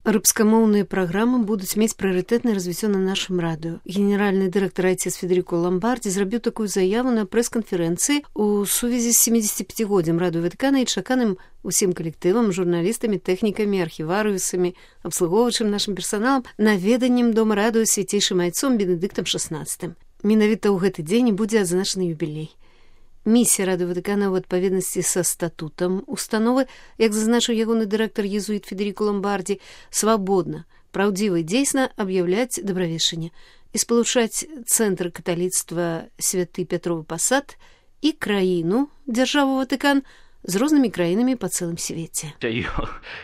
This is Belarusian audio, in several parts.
Рыбскамоўныя праграмы будуць мець прыярытэтнае развіццё на нашым радыё. Генеральны дырэктар айцец Федерико Ламбарди зрабіў такую заяву на прэс-канферэнцыі ў сувязі з 75-годдзям радыё Ватыкана і чаканым усім калектывам, журналістамі, тэхнікамі, архіварыусамі, абслугоўваючым нашым персаналам, наведаннем дома радыё свяцейшым айцом Бенедыктам XVI. Менавіта ў гэты дзень будзе адзначаны юбілей. Місія радыё Ватыкана ў адпаведнасці са статутам установы, як зазначыў ягоны дырэктар езуіт Федерико Ламбарди, свабодна, праўдзіва і дзейсна аб'яўляць дабравешчанне і спалучаць цэнтр каталіцтва Святы Пятровы Пасад і краіну, дзяржаву Ватыкан, з рознымі краінамі па цэлым свеце. Io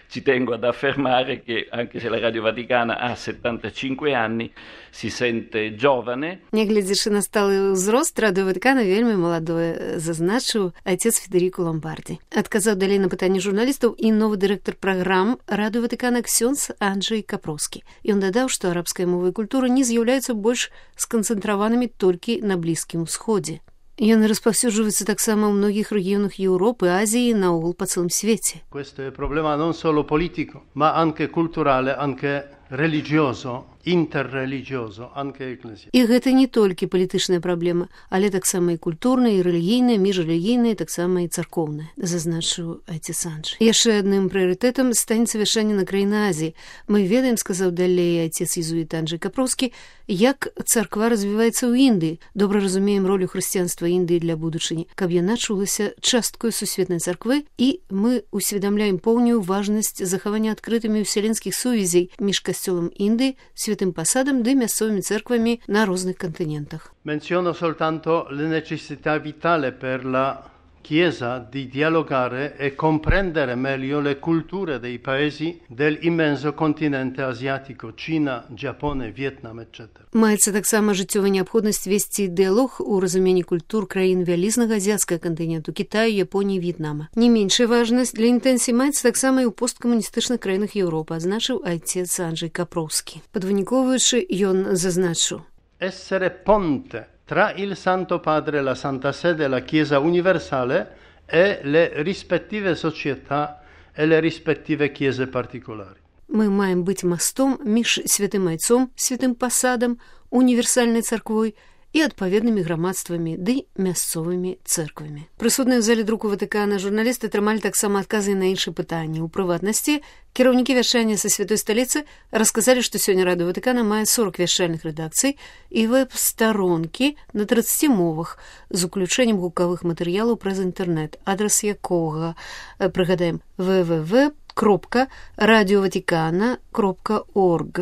ci tengo ad affermare che anche se la Radio Vaticana ha 75 anni, si sente giovane. Нягледзячы на сталы ўзрост, радыё Ватыкана вельмі маладое, зазначыў айцец Федерико Ламбарди. Адказаў далей на пытанні журналістаў і новы дырэктар праграм радыё Ватыкана ксёндз Анджэй Капроўскі. Ён дадаў, што арабская мова і культура не з'яўляюцца больш сканцэнтраванымі толькі на Блізкім Усходзе. Яны распаўсюджваюцца таксама ў многіх рэгіёнах Еўропы, Азіі, наогул па цэлым свеце. Questo è problema non solo politico, ma anche culturale, anche religioso, interreligioso, anche ecclesiastico. І гэта не толькі палітычная праблема, але таксама і культурная, і рэлігійная, міжрэлігійная, таксама і царкоўная, зазначыў айцец Анджэй. Яшчэ адным прыярытэтам станецца вяшчанне на краіны Азіі. Мы ведаем, сказаў далей айцец езуіт Анджэй Капроўскі, як царква развіваецца ў Індыі. Добра разумеем ролю хрысціянства Індыі для будучыні, каб яна чулася часткою сусветнай царквы, і мы усведамляем поўную важнасць захавання адкрытымі ўселенскіх сувязей між касцёлам Індыі, Святым Пасадам ды мясцовымі церквамі на розных континентах. Menziono soltanto la necessità vitale per la Chiesa di dialogare e comprendere meglio le culture dei paesi dell'immenso continente asiatico, Cina, Giappone, Vietnam, etc. Маецца таксама жыццёвая неабходнасць весці дыялог у разуменні культур краін вялізнага азіяцкага кантыненту, Кітаю, Японіі, В'етнама. Не меншая важнасць для інтэнсіі маецца таксама і ў посткамуністычных краінах Еўропы, адзначыў айцец Анджэй Капроўскі. Падвыніковуючы, ён зазначыў: Essere ponte tra il Santo Padre, la Santa Sede, la Chiesa universale e le rispettive società e le rispettive chiese particolari. Мы маем быць мастом між святым айцом, святым пасадам, універсальнай царквой і адпаведнымі грамадствамі ды мясцовымі цэрквамі. Прысутныя ў зале друку Ватыкана журналісты атрымалі таксама адказы на іншыя пытанні. У прыватнасці, кіраўнікі вяшчання са святой сталіцы расказалі, што сёння радыё Ватыкана мае 40 вяшчальных рэдакцый і вэб-старонкі на 30 мовах з уключэннем гукавых матэрыялаў праз інтэрнэт, адрас якога, прыгадаем, www.radiovaticana.org.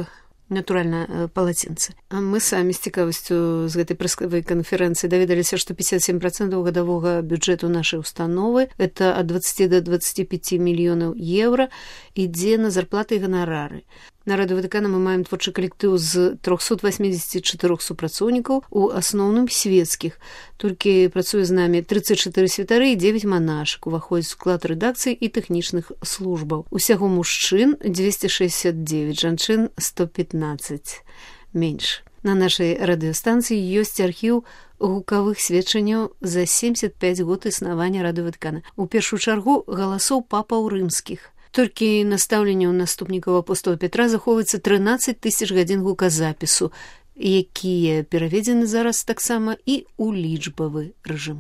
Натуральна, па лацінцы. А мы самі з цікавасцю з гэтай прэсавай канферэнцыі даведаліся, што 57% гадавога бюджэту нашай установы, это ад 20 до 25 мільёнаў еўра, ідзе на зарплаты і ганарары. На радыё Ватыкана мы маем творчы калектыў з 384 супрацоўнікаў, у асноўным свецкіх. Толькі працуе з намі 34 святары і 9 манашак, уваходзіць у склад рэдакцый і тэхнічных службаў. Усяго мужчын 269, жанчын 115. Менш. На нашай радыёстанцыі ёсць архіў гукавых сведчанняў за 75 год існавання радыё Ватыкана. У першую чаргу галасоў папаў рымскіх. Толькі настаўленне ў наступнікаў апостола Петра захоўваецца 13 000 гадзін гуказапісу, якія пераведзены зараз таксама і ў лічбавы рэжым.